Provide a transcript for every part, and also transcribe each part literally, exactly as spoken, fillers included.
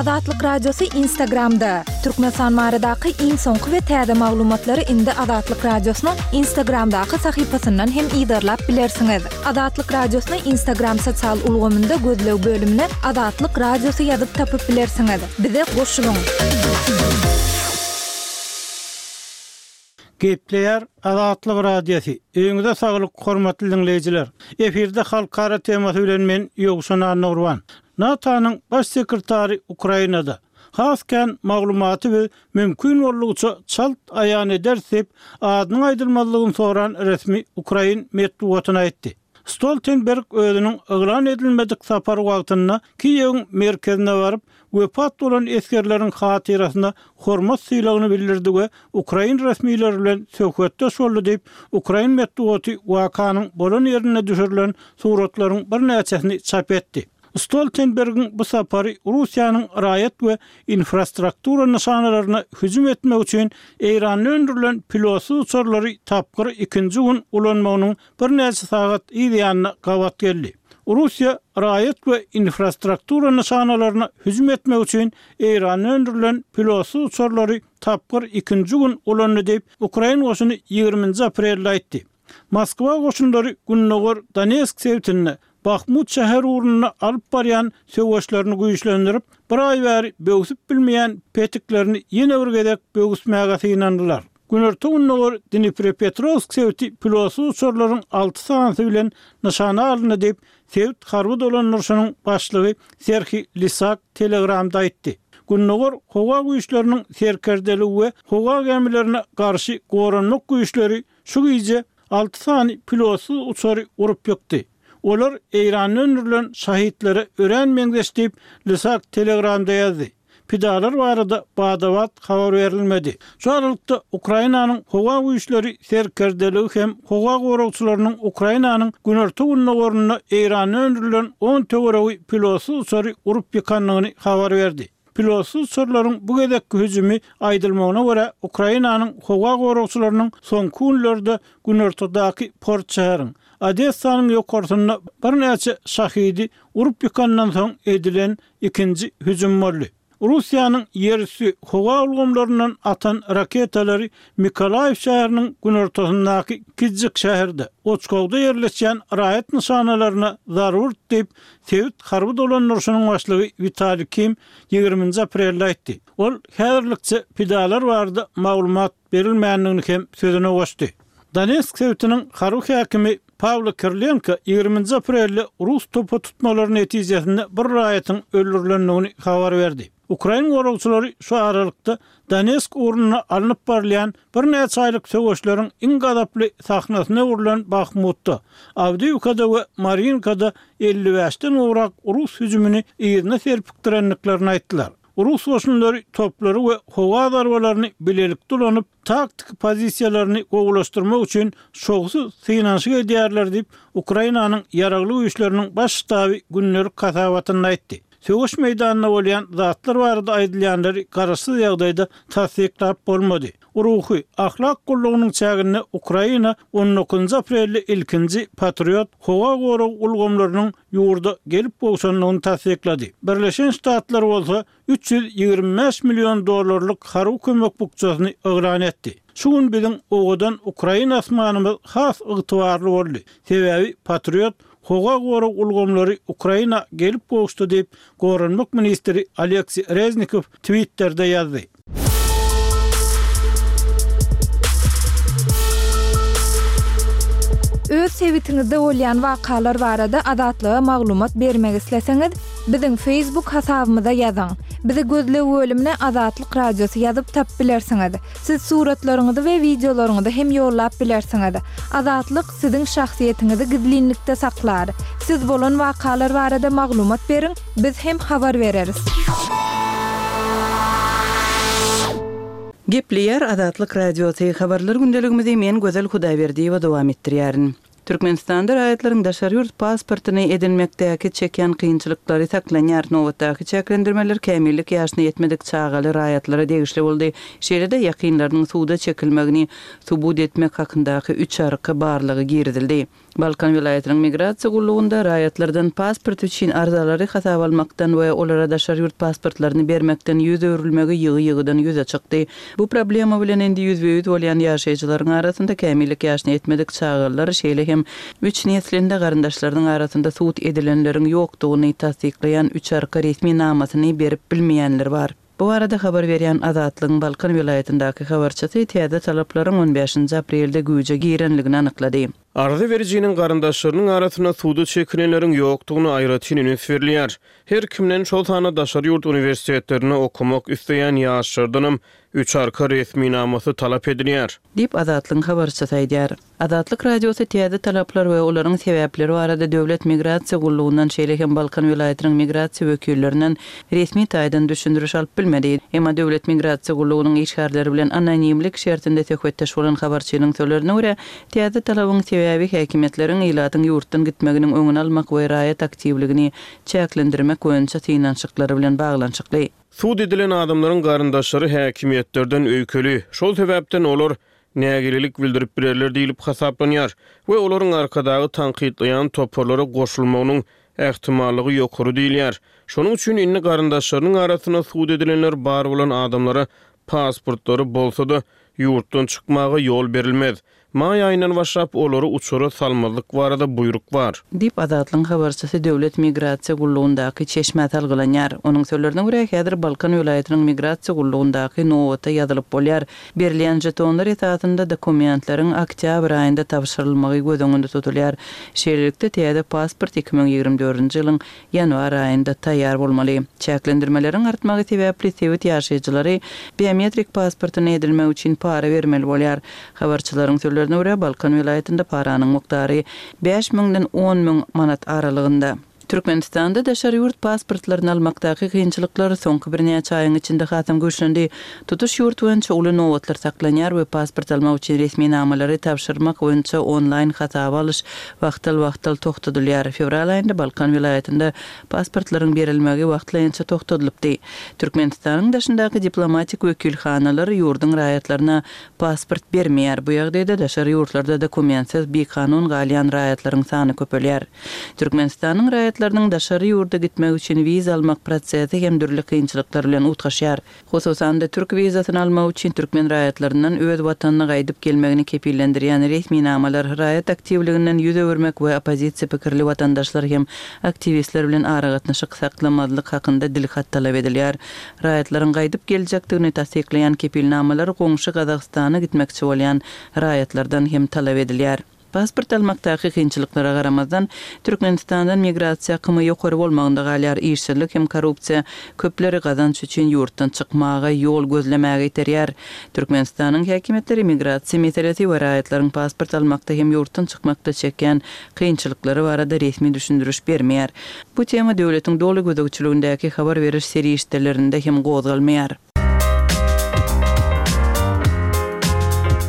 Azatlyk Radiosy Instagramda! Türkmenistan baradaky iň soňky we täze maglumatlary indi Azatlyk Radiosynyň Instagramdaky sahypasyndan hem yzarlap bilersiňiz. Azatlyk Radiosyny Instagram sosial ulgamynda gözleg bölümine Azatlyk Radiosy ýazyp tapyp bilersiňiz. Bize goşulyň! Gepleýär Azatlyk Radiosy. Öýüňize saglyk, hormatly diňleýjiler! Efirde Halkara temasy bilen men Ýowşan Annagurban. NATO-nyň Baş sekretary Ukrainada, Has kän maglumaty biz mümkin boldugyça çalt aýan ederis diýip, adynyň aýdylmazlygyny soran resmi ukrain metbugatyna aýtdy. Stoltenberg özüniň yglan edilmedik sapary wagtynda Kiýewiň merkezine baryp, wepat bolan esgerleriň hatyrasyna hormat sylagyny bildirdi we ukrain resmileri bilen söhbetdeş boldy diýip, ukrain metbugaty wakanyň bolan ýerinde düşürilen suratlaryň birnäçesini çap etdi. Stoltenbergiň bu sapary Russiýanyň raýat we infrastruktura nyşanalaryna hüjüm etmek üçin Eýranda öndürilen pilotsyz uçarlary tapgyr ikinji gün ulanmagynyň birnäçe sagat yz ýanyna gabat geldi. Russiýa raýat we infrastruktura nyşanalaryna hüjüm etmek üçin Eýranda öndürilen pilotsyz uçarlary tapgyr ikinji gün ulandy diýip, ukrain goşuny ýigriminji aprelde aýtdy. Moskwa goşunlary gündogar Donetsk sebitinde Bahmut şäheri ugrunda alyp barýan söweşlerini güýçlendirip, bir aý bäri böwsüp bilmeýän petiklerini ýene bir gezek böwüsmäge synandylar. Günorta-gündogar Dniprepetrowsk sebiti pilotsyz uçarlaryň alty sanysy bilen nyşana alyndy diýip, sebit harby dolandyryşynyň başlygy Serhiý Lisak Telegramda aýtdy. Gündogar howa güýçleriniň serkerdeligi we howa gämilerine garşy goranmak güýçleri şu gije alty sany pilotsyz uçary urup ýykdy. Olar Eýranda öndürilen Şahitlere örän meňzeş diýip, Lysak Telegramda ýazdy. Pidalar barada bada-bat habar berilmedi. Şu aralykda, Ukrainanyň Howa güýçleri serkerdeligi hem howa goragçylarynyň Ukrainanyň günorta-gündogarynda Eýranda öndürilen on töweregi pilotsyz uçary urup ýykandygyny habar berdi. Pilotsyz uçarlaryň bu gezekki hüjümi, aýdylmagyna görä, Ukrainanyň howa goragçylarynyň soňky günlerde günortadaky port şäheriň, Odessanyň ýokarsynda birnäçe Şahidi urup ýykandan soň edilen ikinji hüjüm boldy. Russiýanyň ýerüsti howa ulgamlaryndan atan raketalary Mykolaýiw şäheriniň günortasyndaky kiçijik şäherde, Oçkowda ýerleşýän raýat nyşanalaryna zarba urdy diýip, sebit harby dolandyryşynyň başlygy Witaliý Kim ýigriminji aprelde aýtdy. Ol häzirlikçe pidalar barada maglumat berilmändigini hem sözüne goşdy. Donetsk sebitiniň harby häkimi Pawlo Kirilenko ýigriminji aprelde rus topa tutmalary netijesinde bir raýatyň öldürilendigini habar berdi. Ukrain goragçylary şu aralykda Donetsk ugrunda alnyp barylýan birnäçe aýlyk söweşleriň iň gazaply sahnasyna öwrülen Bahmutda, Awdiýewkada we Marýinkada elli bäşden gowrak rus hüjümini yzyna serpikdirendiklerini aýtdylar. Rus goşunlary toplary we howa zarbalaryny bilelikde ulanyp, taktiki pozisiýalaryny gowulaşdyrmak üçin şowsuz synanyşyk edýärler diýip, Ukrainanyň Ýaragly Güýçleriniň Baş ştaby gündelik hasabatynda aýtdy. Söweş meýdanynda bolýan zatlar barada aýdylýanlary garaşsyz ýagdaýda tassyklap bolmady. Ruhy, ahlak gullugynyň çäginde Ukraina on dokuzynjy aprelde ilkinji Patriot howa gorag ulgamlarynyň ýurda gelip gowşandygyny tassyklady. Birleşen Ştatlar bolsa üç ýüz ýigrimi bäş million dollarlyk harby kömek bukjasyny yglan etdi. Şu gün biziň owadan ukrain asmanymyz has ygtybarly boldy, sebäbi Patriot howa gorag ulgamlary Ukraina gelip gowuşdy diýip, goranmak ministri Oleksiý Reznikow Twitterde ýazdy. Öz sebitiňizde bolýan wakalar barada Azatlyga maglumat bermek isleseňiz, biziň Facebook hasabymyza ýazyň. Bizi gözleg bölümine Azatlyk Radiosy ýazyp tapyp bilersiňiz. Siz suratlaryňyzy we wideolaryňyzy hem ýollap bilersiňiz. Azatlyk siziň şahsyýetiňizi gizlinlikde saklar. Siz bolan wakalar barada maglumat beriň, biz hem habar bereris. Gepleýär Azatlyk Radiosy, Habarlar gündeligimizi men Gözel Hudaýberdiýewa dowam etdirýärin. Türkmenistanda raýatlaryň daşary ýurt pasportyny edinmekdäki çekýän kynçylyklary saklanýar. Nobatdaky çäklendirmeler kämillik ýaşyna ýetmedik çagaly raýatlara degişli boldy. Şeýle-de ýakynlarynyň suda çekilmegini subut etmek hakyndaky üç arka barlagy girizildi. Balkan welaýatynyň migrasiýa gullugynda raýatlardan pasport üçin arzalary hasaba almakdan we olara daşary ýurt pasportlaryny bermekden ýüz öwrülmegi ýygy-ýygydan ýüze çykdy. Bu problema bilen indi ýüzbe-ýüz bolýan ýaşaýjylaryň arasynda kämillik ýaşyna ýetmedik çagalar, şeýle hem üç neslinde garyndaşlarynyň arasynda sud edilenleriň ýokdugyny tassyklaýan üç arka resminamasyny berip bilmeýänler bar. Bu barada habar berýän Azatlygyň Balkan welaýatyndaky habarçysy täze talaplaryň on bäşinji aprelde güýje girenligini anyklady. Arza berijiniň garyndaşlarynyň arasynda suda çekilenleriň ýokdugyna aýratyn üns berilýär. Her kimden, şol sanda daşary ýurt uniwersitetlerinde okamak isleýän ýaşlardanam üç arka resminamasy talap edilýär. Diýip, Azatlygyň habarçysy aýdýar. Azatlyk Radiosy täze talaplar we olaryň sebäpleri barada Döwlet migrasiýa gullugyndan, şeýle hem Balkan welaýatynyň migrasiýa wekillerinden resmi taýdan düşündiriş alyp bilmedi. Emma Döwlet migrasiýa gullugynyň işgärleri bilen anonimlik şertinde söhbetdeş bolan habarçynyň sözlerine görä, täze talabyň sebäbi häkimiýetleriň ilatyň ýurtdan gitmeginiň öňüni almak we raýat aktiwligini çäklendirmek boýunça synanyşyklary bilen baglanyşykly. Sud edilen adamlaryň garyndaşlary häkimiýetlerden öýkeli, şol sebäpden olar nägilelik bildirip bilerler diýlip hasaplanýar we olaryň Arkadagy tankytlaýan toparlara goşulmagynyň ähtimallygy ýokary diýilýär. Şonuň üçin indi garyndaşlarynyň arasynda sud edilenler bar bolan adamlara pasportlary bolsa-da ýurtdan çykmaga ýol berilmez. Maý aýyndan başlap olary uçara salmazlyk barada buýruk bar. Diýip, Azatlygyň habarçysy Döwlet migrasiýa gullugyndaky çeşmä salgylanýar. Onuň sözlerine görä, häzir Balkan welaýatynyň migrasiýa gullugyndaky nobata ýazylyp bolýar. Berilýän žetonlar esasynda dokumentleriň oktýabr aýynda tabşyrylmagy göz öňünde tutulýar. Şeýlelikde, täze pasport iki müň ýigrimi dördünji ýylyň ýanwar aýynda taýýar bolmaly. Çäklendirmeleriň artmagy sebäpli sebit ýaşaýjylary biometrik pasportyny edinmek üçin para bermeli bolýar. Habarçylaryň sözlerine görä, Balkan welaýatynda paranyň mukdary bäş müňden on müň manat aralygynda. Türkmenistanda daşary ýurt pasportlaryny almakdaky kynçylyklar soňky birnäçe aýyň içinde hasam güýçlendi. Tutuş ýurt boýunça uly nobatlar saklanýar we pasport almak üçin resminamalary tabşyrmak boýunça onlaýn hasaba alyş wagtal-wagtal togtadylýar. Fewral aýynda Balkan welaýatynda pasportlaryň berilmegi wagtlaýynça togtadylypdy. Türkmenistanyň daşyndaky diplomatik wekilhanalar ýurduň raýatlaryna pasport bermeýär. Bu ýagdaýda daşary ýurtlarda dokumentsiz bikanun galýan raýatlaryň sany köpelýär. Türkmenistanyň raýatlarynyň daşary ýurda gitmek üçin wiza almak prosesi hem dürli kynçylyklar bilen utgaşýar. Hususan-da, türk wizasyny almak üçin türkmen raýatlaryndan öz watanyna gaýdyp gelmegini kepillendirýän resminamalar, raýat aktiwliginden ýüz öwürmek we oppozisiýa pikirli watandaşlar hem aktiwistler bilen aragatnaşyk saklamazlyk hakynda dilhat talap edilýär. Raýatlaryň gaýdyp geljekdigini tassyklaýan kepilnamalar goňşy Gazagystana gitmekçi bolýan raýatlardan hem talap edilýär. Pasport almakdaky kynçylyklara garamazdan, Türkmenistandan migrasiýa akymy ýokary bolmagynda galýar, işsizlik hem korrupsiýa köpleri gazanç üçin ýurtdan çykmaga, ýol gözlemäge iterýär. Türkmenistanyň häkimiýetleri migrasiýa meselesi we raýatlaryň pasport almakda hem ýurtdan çykmakda çekýän kynçylyklary barada resmi düşündiriş bermeýär. Bu tema döwletiň doly gözegçiligindäki habar beriş serişdelerinde hem gozgalmaýar.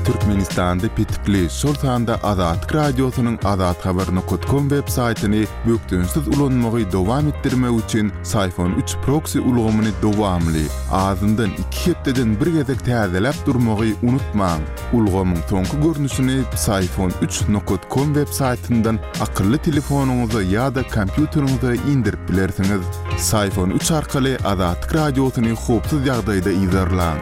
Türkmenistanda petikli, şol sanda Azatlyk Radiosynyň azathabar nokat kom web saýtyny bökdençsiz ulanmagy dowam etdirmek üçin Syfon üç proksi ulgamyny dowamly, azyndan iki hepdeden bir gezek täzeläp durmagy unutmaň. Ulgamyň soňky görnüşini Syfon üç nokat kom web saýtyndan akylly telefonyňyza ýa-da kompýuteriňize indirip bilersiňiz. Syfon üç arkaly Azatlyk Radiosyny howpsuz ýagdaýda yzarlaň.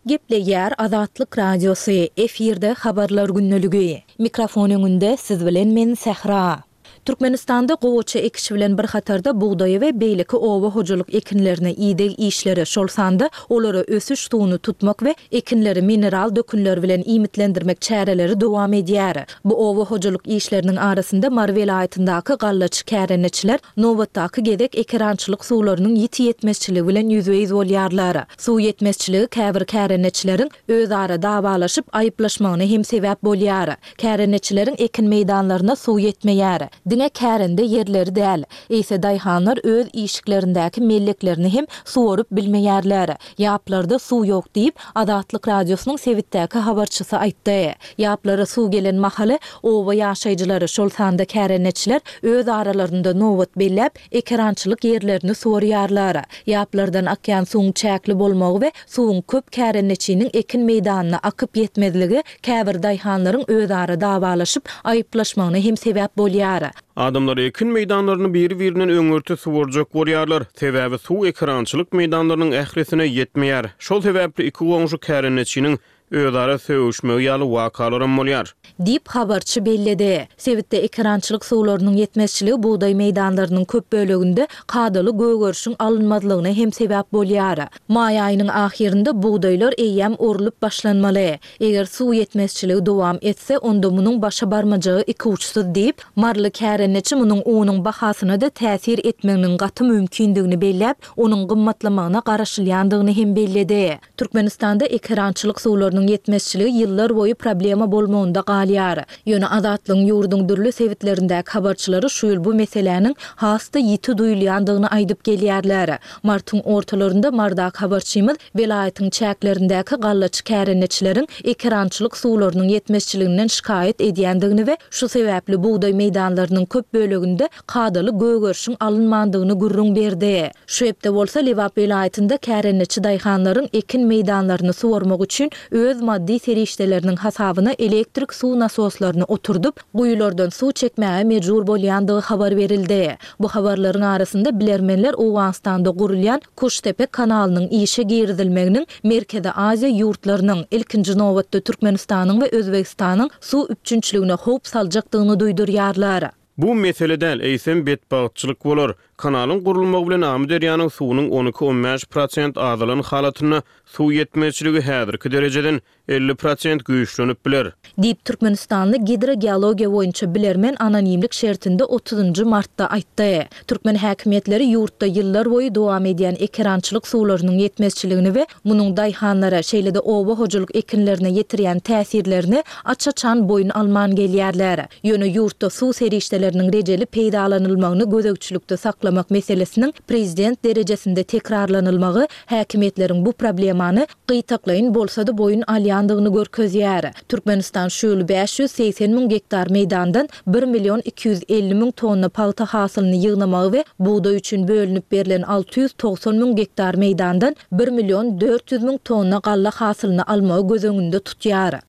Gepleýär Azatlyk Radiosy, efirde habarlar gündeligi. Mikrofon öňünde siz bilen men Sähra. Türkmenistanda gowaça ekişi bilen bir hatarda bugdaýy we beýleki oba hojalyk ekinlerine ideg işleri, şol sanda olara ösüş suwuny tutmak we ekinleri mineral dökünler bilen iýmitlendirmek çäreleri dowam edýär. Bu oba hojalyk işleriniň arasynda Mary welaýatyndaky gallaçy kärendeçiler nobatdaky gezek ekerançylyk suwlarynyň ýiti ýetmezçiligi bilen ýüzbe-ýüz bolýarlar. Suw ýetmezçiligi käbir kärendeçileriň özara dawalaşyp aýyplaşmagyna hem sebäp bolýar. Kärendeçileriň ekin meýdanlaryna suw ýetmeýär. Diňe kärende ýerleri däl, eýse daýhanlar öz işiklerindäki melleklerini hem suwaryp bilmeýärler. Ýaplarda suw ýok diýip, Azatlyk Radiosynyň sebitdäki habarçysy aýtdy. Ýaplara suw gelen mahaly oba ýaşaýjylary, şol sanda kärendeçiler öz aralarynda nobat belläp, ekerançylyk ýerlerini suwarýarlar. Ýaplardan akýan suwuň çäkli bolmagy we suwuň köp kärendeçiniň ekin meýdanyna akyp ýetmezligi käbir daýhanlaryň özara dawalaşyp, aýyplaşmagyna hem sebäp bolýar. Adamlar ekin meýdanlaryny biri-birinden öňürti suwarjak bolýarlar, sebäbi suw ekerançylyk meýdanlarynyň ählisine ýetmeýär. Şol sebäpli iki goňşy kärendeçiniň özara sögüşmegi ýaly wakalaram bolýar. Diýip, habarçy belledi. Sebitde ekerançylyk suwlarynyň ýetmezçiligi bugdaý meýdanlarynyň köp böleginde kadaly gögerişiň alynmazlygyna hem sebäp bolýar. Maý aýynyň ahyrynda bugdaýlar eýýäm orlup başlanmaly. Eger suw ýetmezçiligi dowam etse, onda munuň başa barmajagy ikuçsuz diýip, maryly kärendeçi munuň unuň bahasyna-da täsir etmeginiň gaty mümkindigini belläp, onuň gymmatlamagyna garaşylýandygyny hem belledi. Türkmenistanda ekerançylyk suwlarynyň ýetmezçiligi ýyllar boýy problema bolmagynda galýar. Ýöne Azatlygyň ýurduň dürli sebitlerindäki habarçylary şu ýyl bu meseläniň has-da ýiti duýulýandygyny aýdyp gelýärler. Martyň ortalarynda Marydaky habarçymyz welaýatyň çäklerindäki gallaçy kärendeçileriň ekerançylyk suwlarynyň ýetmezçiliginden şikaýat edýändigini we şu sebäpli bugdaý meýdanlarynyň köp böleginde kadaly gögerişiň alynmandygyny gürrüň berdi. Şu hepde bolsa Lebap welaýatynda kärendeçi daýhanlaryň ekin meýdanlaryny suwarmak üçin öz maddy serişdeleriniň hasabyna elektrik suw nasoslaryny oturdyp, guýulardan suw çekmäge mejbur bolýandygy habar berildi. Bu habarlaryň arasynda bilermenler Owganystanda gurulýan Kuştepe kanalynyň işe girizilmeginiň Merkezi Aziýa ýurtlarynyň, ilkinji nobatda Türkmenistanyň we Özbegistanyň suw üpjünçiligine howp saljakdygyny duýdurýarlar. Bu mesele däl, eýsem betbagtçylyk bolar. Kanalyň gurulmagy bilen Amyderýanyň suwunyň on iki-on bäş prosent azalan halatynda suw ýetmezçiligi häzirki derejeden elli prosent güýçlenip biler. Diýip, türkmenistanly gidrogeologiýa boýunça bilermen anonimlik şertinde otuzynjy martda aýtdy. Türkmen häkimiýetleri ýurtda ýyllar boýy dowam edýän ekerançylyk suwlarynyň ýetmezçiligini we munuň daýhanlara, şeýle-de oba hojalyk ekinlerine ýetirýän täsirlerini aç-açan boýun alman gelýärler. Ýöne ýurtda suw serişdeleriniň rejeli peýdalanylmagyny gözegçilikde saklamak meselesiniň prezident derejesinde tekrarlanylmagy häkimiýetleriň bu problemany gytaklaýyn bolsa-da boýun alýandygyny görkezýär. Türkmenistan şu ýyl bäş ýüz segsen müň gektar meýdandan bir million iki ýüz elli müň tonna pagta hasylyny ýygnamagy we bugdaý üçin bölünip berlen alty ýüz togsan müň gektar meýdandan bir million dört ýüz müň tonna galla hasylyny almagy göz öňünde tutýar.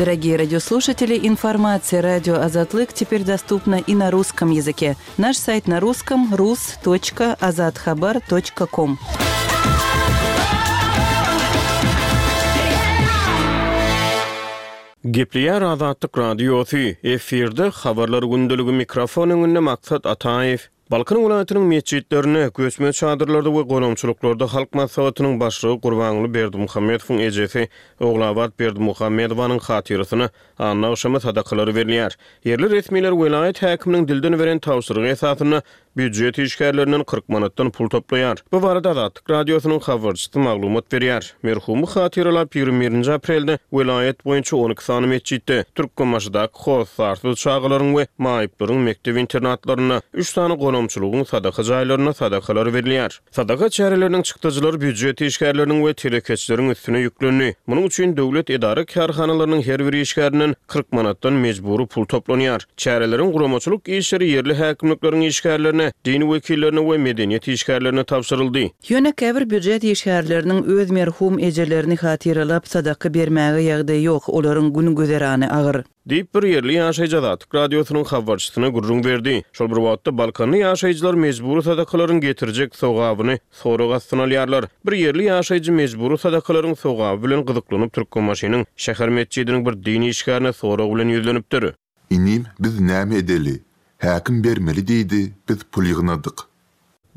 Дорогие радиослушатели, информация радио Азатлык теперь доступна и на русском языке. Наш сайт на русском рус точка азатхабар точка ком. Gepleýär Azatlyk Radiosy, efirde habarlar gündeligi mikrofon öňünde Maksat Ataýew. Balkan welaýatynyň metjitlerinde, göçme çadyrlarda we gonamçylyklarda Halk Maslahatynyň başlygy Gurbanguly Berdimuhamedowyň ejesi Ogulabat Berdimuhamedowanyň hatyrasyna anna agşamy sadakalary berilýär. Ýerli resmiler welaýat häkiminiň dilden beren tabşyrygy esasynda býujet işgärlerinden kyrk manatdan pul toplaýar. Bu barada Azatlyk Radiosynyň habarçysy maglumat berýär. Merhumy hatyralap ýigrimi birinji aprelde welaýat boýunça on iki sany metjitde, Türkmenbaşydaky hossarsyz çagalaryň we maýyplaryň mekdep internatlarynda üç sany gonamçylygyň sadaka jaýlarynda sadakalar berilýär. Sadaka çäreleriniň çykdajylary býujet işgärleriniň we telekeçileriň üstüne ýüklendi. Munuň üçin döwlet edara kärhanalarynyň her bir işgärinden kyrk manatdan mejbury pul toplanýar. Çäreleriň guramaçylyk işleri ýerli häkimlikleriň işgärlerine, din wekillerine we medeniýet işgärlerine tabşyryldy. Ýöne käbir býujet işgärleriniň öz merhum ejelerini hatyralap sadaka bermäge ýagdaýy ýok, olaryň gün güzerany agyr. Diýip bir ýerli ýaşaýjy Azatlyk Radiosynyň habarçysyna gürrüň berdi. Şol bir wagtda Balkanly ýaşaýjylar mejbury sadakalaryň getirjek sogabyny sorag astyna alýarlar. Bir ýerli ýaşaýjy mejbury sadakalaryň sogaby bilen gyzyklanyp Türkmenbaşynyň şäher metjidiniň bir din işgärine sorag bilen ýüzlenipdir. Inim, biz näme edeli? Häkim bermeli diýdi, biz pul ýygnadyk.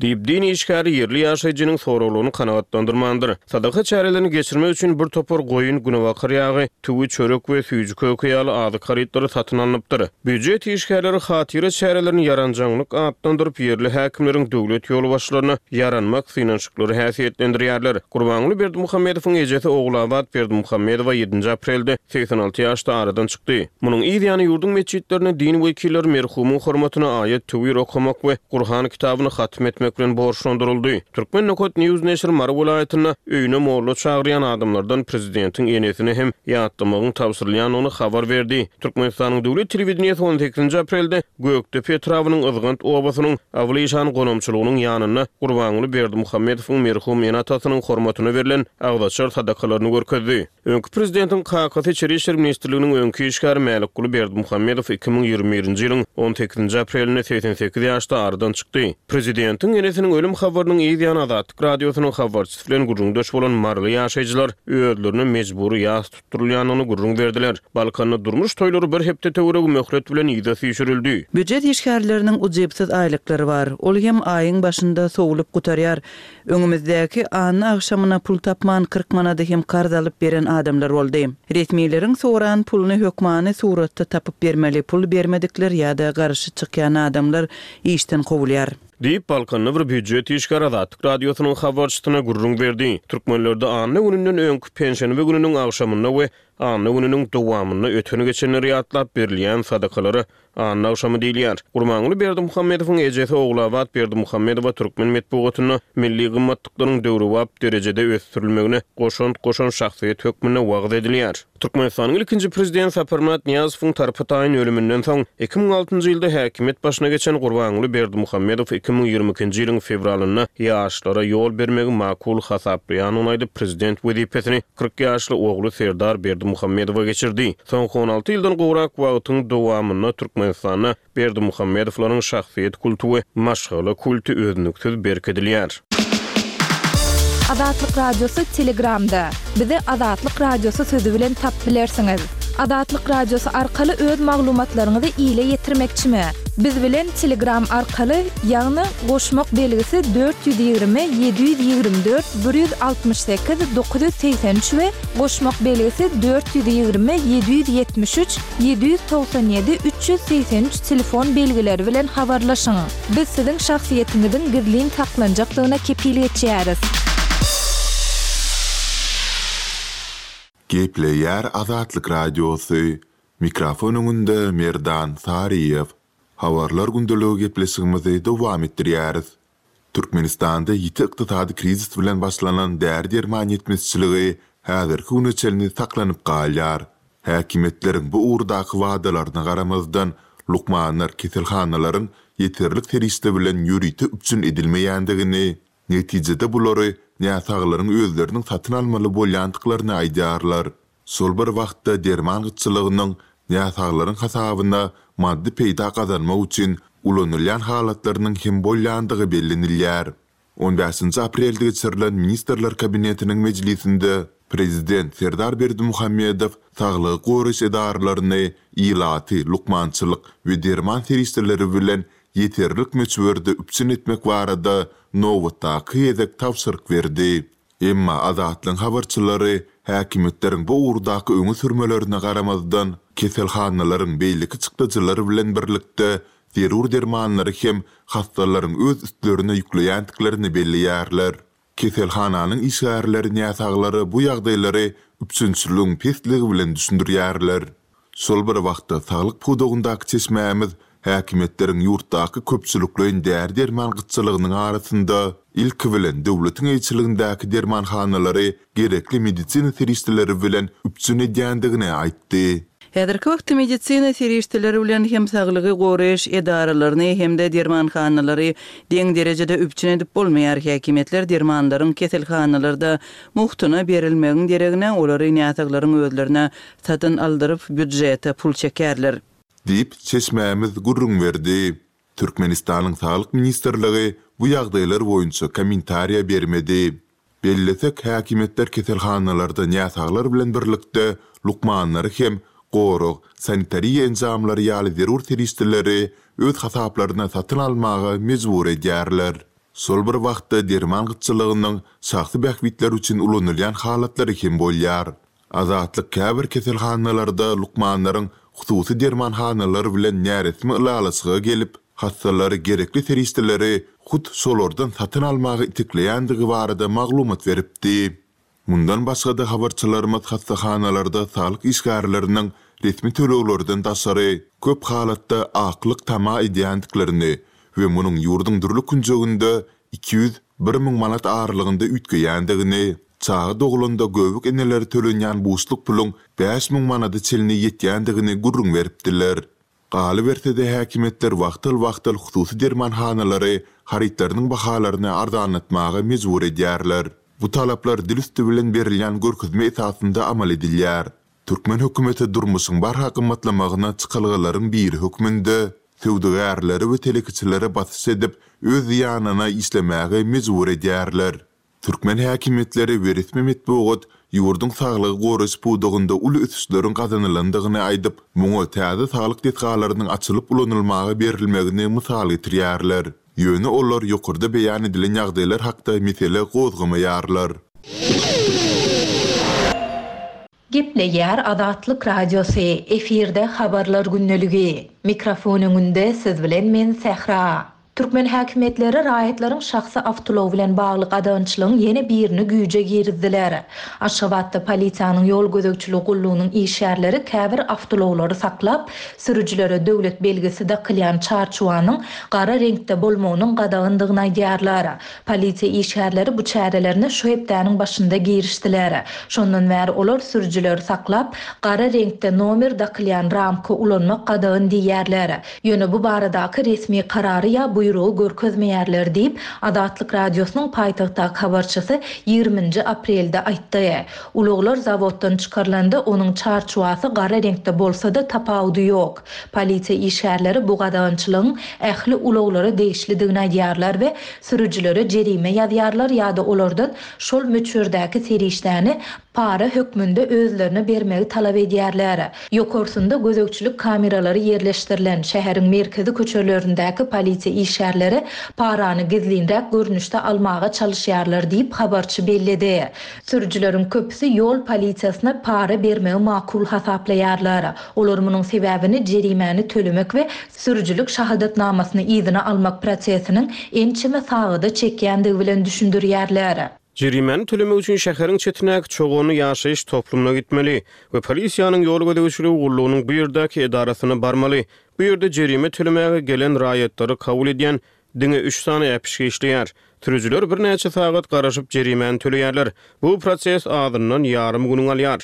Diýip, din işgäri ýerli ýaşaýjynyň soraglaryny kanagatlandyrmandyr. Sadaka çärelerini geçirmek üçin bir topar goýun, günebakar ýagy, tüwi, çörek we süýji-köke ýaly azyk harytlary satyn alnypdyr. Býujet işgärleri hatyra çärelerini ýaranjaňlyk atlandyryp, ýerli häkimleriň döwlet ýolbaşçylaryna ýaranmak synanyşyklary häsiýetlendirýärler. Gurbanguly Berdimuhamedowyň ejesi Ogulabat Berdimuhamedowa ýedinji aprelde segsen alty ýaşda aradan çykdy. Munuň yz ýany ýurduň metjitlerinde din wekilleri merhumyň hormatyna aýat-töwir okamak we Gurhan kitabyny hatm etmek bilen borçlandyryldy. Turkmen nokat news neşiri Mary welaýatynda öýüne molla çagyrýan adamlardan prezidentiň enesini hem ýatlamagyň tabşyrylýandygyny habar berdi. Türkmenistanyň döwlet telewideniýesi on sekizinji aprelde Gökdepe etrabynyň Yzgant obasynyň Abyly işan gonamçylygynyň ýanynda Gurbanguly Berdimuhamedowyň merhum ene-atasynyň hormatyna berlen agzaçar sadakalaryny görkezdi. Öňki prezidentiň kakasy Içeri işler ministrliginiň öňki işgäri Mälikguly Berdimuhamedow iki müň ýigrimi birinji ýylyň on sekizinji aprelinde segsen sekiz ýaşda aradan çykdy. Prezidentiň enesiniň ölüm habarynyň yz ýany Azatlyk Radiosynyň habarçysy bilen gürrüňdeş bolan maryly ýaşaýjylar özlerine mejbury ýas tutdurylýandygyny gürrüň berdiler. Balkanda durmuş toýlary bir hepde töweregi möhlet bilen yza süýşürildi. Býujet işgärleriniň ujypsyz aýlyklary bar. Ol hem aýyň başynda sowlup gutarýar. Öňümizdäki anna agşamyna pul tapman kyrk manady hem karz alyp beren adamlar boldy. Resmileriň soran puluny hökmany suratda tapyp bermeli, pul bermedikler ýa-da garşy çykýan adamlar işden kowulýar. Diýip, Balkanda bir býujet işgäri Azatlyk Radiosynyň habarçysyna gürrüň berdi. Türkmenlerde anna gününden öňki penşenbe gününiň agşamynda we anna gününiň dowamynda öten-geçenleri ýatlap berilýän sadakalara anna agşamy diýilýär. Gurbanguly Berdimuhamedowyň ejesi Ogulabat Berdimuhamedowa türkmen metbugatynda milli gymmatlyklaryň döwrebap derejede ösdürilmegine goşant goşan şahsyýet hökmünde wagyz edilýär. Türkmenistanyň ilkinji prezident Saparmyrat Nyýazowyň tarpa-taýyn ölüminden soň iki müň altynjy ýylda häkimiýet başyna geçen Gurbanguly Berdimuhamedow iki müň ýigrimi ikinji ýylyň fewralynda ýaşlara ýol bermegi makul hasaplaýandygyny aýdyp, prezident wezipesini kyrk ýaşly ogly Serdar Berdimuhamedowa geçirdi. Soňky on alty ýyldan gowrak wagtyň dowamynda Türkmenistanda Berdimuhamedowlaryň şahsyýet kulty we maşgala kulty üznüksiz berkidilýär. Azatlyk Radiosy Telegramda. Bizi Azatlyk Radiosy sözi bilen tap bilersiňiz. Azatlyk Radiosy arkaly öz maglumatlaryňyzy ile ýetirmekçimi? Biz bilen Telegram arkaly, ýagny goşmak belgisi dört ýüz ýigrimi, ýedi ýüz ýigrimi dört, bir ýüz altmyş sekiz, dokuz ýüz segsen üç we goşmak belgisi dört ýüz ýigrimi, ýedi ýüz ýetmiş üç, ýedi ýüz togsan ýedi, üç ýüz segsen üç telefon belgileri bilen habarlaşyň. Biz siziň şahsyýetiňiziň gizlin saklanjakdygyna kepil geçýäris. Gepleýär Azatlyk Radiosy. Mikrofon öňünde Merdan Saryýew. Habarlar gündeligi gepleşigimizi dowam etdirýäris. Türkmenistanda ýiti ykdysady krizis bilen başlanan däri-derman ýetmezçiligi häzirki güne çenli saklanyp galýar. Häkimiýetleriň bu ugurdaky wadalaryna garamazdan, lukmanlar keselhanalaryň ýeterlik serişde bilen ýörite üpjün edilmeýändigini, netijede bulary näsaglaryň özleriniň satyn almaly bolýandyklaryny aýdýarlar. Şol bir wagtda derman gytçylygynyň näsaglaryň hasabyna maddy peýda gazanmak üçin ulanylýan halatlarynyň hem bolýandygy bellenilýär. On bäşinji aprelde geçirilen Ministrler Kabinetiniň mejlisinde Prezident Serdar Berdimuhamedow saglygy goraýyş edaralaryny ilaty, lukmançylyk we derman serişdeleri bilen ýeterlik möçberde üpjün etmek barada nobatdaky gezek tabşyryk berdi. Emma Azatlygyň habarçylary häkimiýetleriň bu ugurdaky öňe sürmelerine garamazdan, keselhanalaryň beýleki çykdajylary bilen birlikde zerur dermanlary hem hassalaryň öz üstlerine ýükleýändiklerini belleýärler. Keselhananyň işgärleri näsaglary bu ýagdaýlary üpjünçiligiň pesligi bilen düşündirýärler. Şol bir wagtda saglyk pudagyndaky çeşmämiz häkimiýetleriň ýurtdaky köpçülikleýin däri-derman gytçylygynyň arasynda ilki bilen döwletiň eýeçiligindäki dermanhanalary gerekli medisina serişdeleri bilen üpjün edýändigini aýtdy. Häzirki wagtda medisina serişdeleri bilen hem saglygy goraýyş edaralaryny hem-de dermanhanalary deň derejede üpjün edip bolmaýar. Häkimiýetler dermanlaryň keselhanalarda muhtuna berilmegiň deregine olary näsaglaryň özlerine satyn aldyryp býudžete pul çekerler. Diýip, çeşmämiz gürrüň berdi. Türkmenistanyň Saglyk ministrligi bu ýagdaýlar boýunça kommentariýa bermedi. Bellesek, häkimiýetler keselhanalarda näsaglar bilen birlikde lukmanlary hem gorag, sanitariýa enjamlary ýaly zerur serişdeleri öz hasaplaryna satyn almaga mejbur edýärler. Şol bir wagtda derman gytçylygynyň şahsy bähbitler üçin ulanylýan halatlary hem bolýar. Azatlyk käbir keselhanalarda lukmanlaryň hususy dermanhanalar bilen näresmi ylalaşyga gelip, hassalary gerekli serişdeleri hut şolardan satyn almaga itekleýändigi barada maglumat beripdi. Mundan başga-da habarçylarymyz hassahanalarda saglyk işgärleriniň resmi töleglerden daşary, köp halatda aklyk tama edýändiklerini we munuň ýurduň dürli künjeginde iki ýüz, bir müň manat aralygynda üýtgeýändigini, çaga doglanda göbek enelere tölenýän buşluk puluň bäş müň manada çenli ýetýändigini gürrüň beripdiler. Galyberse-de, häkimiýetler wagtal-wagtal hususy dermanhanalary harytlarynyň bahalaryny arzanlatmaga mejbur edýärler. Bu talaplar dil üsti bilen berilýän görkezme esasynda amal edilýär. Türkmen hökümeti durmuşyň barha gymmatlamagyna çykalgalaryň biri hökmünde söwdagärlere we telekeçilere basyş edip, öz zyýanyna işlemäge mejbur edýärler. Türkmen häkimiýetleri we resmi metbugat ýurduň saglygy goraýyş pudagynda uly ösüşleriň gazanylandygyny aýdyp, muňa täze saglyk desgalarynyň açylyp ulanylmaga berilmegini mysal getirýärler. Ýöne olar ýokarda beýan edilen ýagdaýlar hakda mesele gozgamaýarlar. Gepleýär Azatlyk Radiosy, efirde Habarlar gündeligi. Mikrofon öňünde siz bilen men Sähra. Türkmen häkimiýetleri raýatlaryň şahsy awtoulagy bilen bagly gadagançylygyň ýene birini güýje girizdiler. Aşgabatda polisiýanyň ýol gözegçiligi gullugynyň işgärleri käbir awtoulaglary saklap, sürüjilere döwlet belgisi dakylýan çarçuwanyň gara reňkde bolmagynyň gadagandygyny aýdýarlar. Polisiýa işgärleri bu çärelerine şu hepdäniň başynda girişdiler. Şondan bäri olar sürüjileri saklap, gara reňkde nomer dakylýan ramka ulanmak gadagan diýýärler. Ýöne bu baradaky resmi karary ýa buýrugy görkezmeýärler diýip, Azatlyk Radiosynyň paýtagtdaky habarçysy ýigrimi nji aprelde aýtdy. Ulaglar zawoddan çykarylanda onuň çarçuwasy gara reňkde bolsa-da tapawudy ýok. Polisiýa işgärleri bu gadagançylygyň ähli ulaglara degişlidigini aýdýarlar we sürüjilere jerime ýazýarlar ýa-da olardan şol möçberdäki serişdäni para hökmünde özlerine bermegi talap edýärler. Ýokarsynda gözegçilik kameralary ýerleşdirilen şäheriň merkezi köçelerindäki polisiýa işgärleri parany gizlinräk görnüşde almaga çalyşýarlar diýip, habarçy belledi. Sürüjileriň köpüsi ýol polisiýasyna para bermegi makul hasaplaýarlar. Olar munuň sebäbini jerimäni tölemek we sürüjilik şahadatnamasyny yzyna almak prosesiniň ençeme sagada çekýändigi bilen düşündirýärler. Jerimäni tölemek üçin şäheriň çetindäki Çoganly ýaşaýyş toplumyna gitmeli we polisiýanyň ýol gözegçiligi gullugynyň bu ýerdäki edarasyna barmaly. Bu ýerde jerime tölemäge gelen raýatlary kabul edýän diňe üç sany äpişge işleýär. Sürüjiler birnäçe sagat garaşyp jerimäni töleýärler. Bu proses azyndan ýarym günüňi alýar.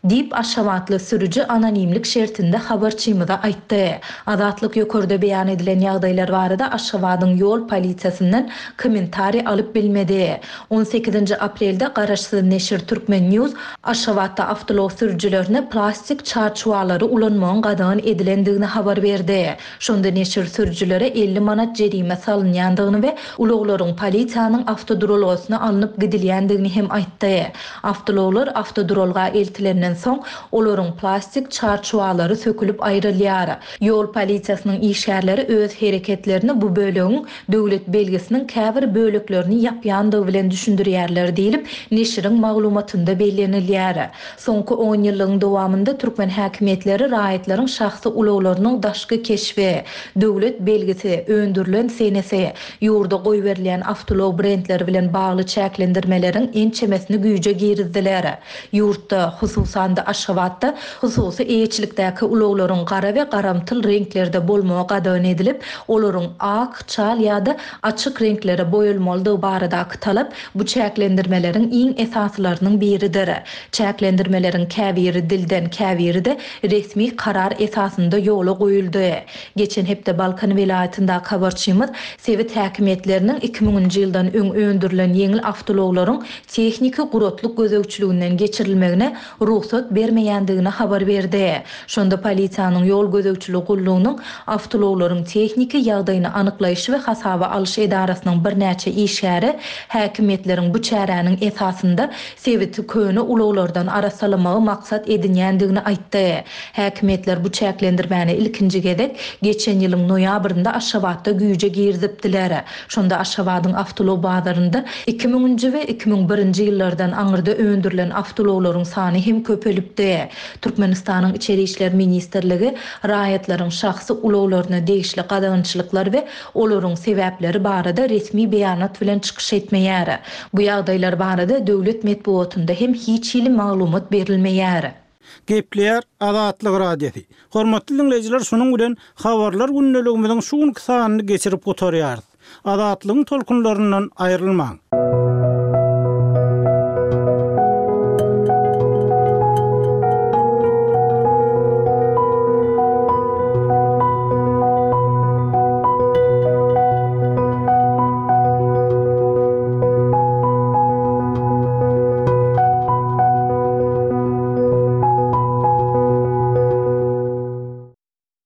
Diýip, aşgabatly sürüji anonimlik şertinde habarçymyza aýtdy. Azatlyk ýokarda beýan edilen ýagdaýlar barada Aşgabadyň ýol polisiýasyndan kommentariý alyp bilmedi. On sekizinji aprelde garaşsyz neşir Turkmen. News Aşgabatda awtoulag sürüjilerine plastik çarçuwalary ulanmagyň gadagan edilendigini habar berdi. Şonda neşir sürüjilere elli manat jerime salynýandygyny we ulaglaryň polisiýanyň awtoduralgasyna alnyp gidilýändigini hem aýtdy. Awtoulaglar awtoduralga eltilenden soň, olaryň plastik çarçuwalary sökülip aýrylýar. Ýol polisiýasynyň işgärleri öz hereketlerini bu bölegiň döwlet belgisiniň käbir böleklerini ýapýandygy bilen düşündirýärler diýlip, neşiriň maglumatynda bellenilýär. Soňky on ýyllygyň dowamynda türkmen häkimiýetleri raýatlaryň şahsy ulaglarynyň daşky keşbi, döwlet belgisi, öndürilen senesi, ýurda goýberilýän awtoulag brendleri bilen bagly çäklendirmeleriň ençemesini güýje girizdiler. Ýurtda, hususan-da Aşgabatda hususy eýeçilikdäki ulaglaryň gara we garamtyl reňklerde bolmagy gadagan edilip, olaryň ak, çal ýa-da açyk reňklere boýalmalydygy baradaky talap bu çäklendirmeleriň iň esasylarynyň biridir. Çäklendirmeleriň käbiri dilden, käbiri-de resmi karar esasynda ýola goýuldy. Geçen hepde Balkan welaýatyndaky habarçymyz sebit häkimiýetleriniň iki müňünji ýyldan öň öndürilen ýeňil awtoulaglaryň tehniki guratlyk gözegçiliginden geçirilmegine rugsat rugsat bermeýändigini habar berdi. Şonda polisiýanyň ýol gözegçiligi gullugynyň awtoulaglaryň tehniki ýagdaýyny anyklaýyş we hasaba alyş edarasynyň birnäçe işgäri häkimiýetleriň bu çäräniň esasynda sebiti köne ulaglardan arassalamagy maksat edinýändigini aýtdy. Häkimiýetler bu çäklendirmäni ilkinji gezek geçen ýylyň noýabrynda Aşgabatda güýje girizipdiler. Şonda Aşgabadyň awtoulag bazarynda iki müňünji we iki müň birinji ýyllardan aňyrda öndürilen awtoulaglaryň sany hem köpelipdi. Türkmenistanyň Içeri işler ministrligi raýatlaryň şahsy ulaglaryna degişli gadagançylyklar we olaryň sebäpleri barada resmi beýanat bilen çykyş etmeýär. Bu ýagdaýlar barada döwlet metbugatynda hem hiç hili maglumat berilmeýär. Gepleýär Azatlyk Radiosy. Hormatly diňleýjiler, şunuň bilen habarlar gündeligimiziň şu günki sanyny geçirip gutarýarys. Azatlygyň tolkunlaryndan aýrylmaň.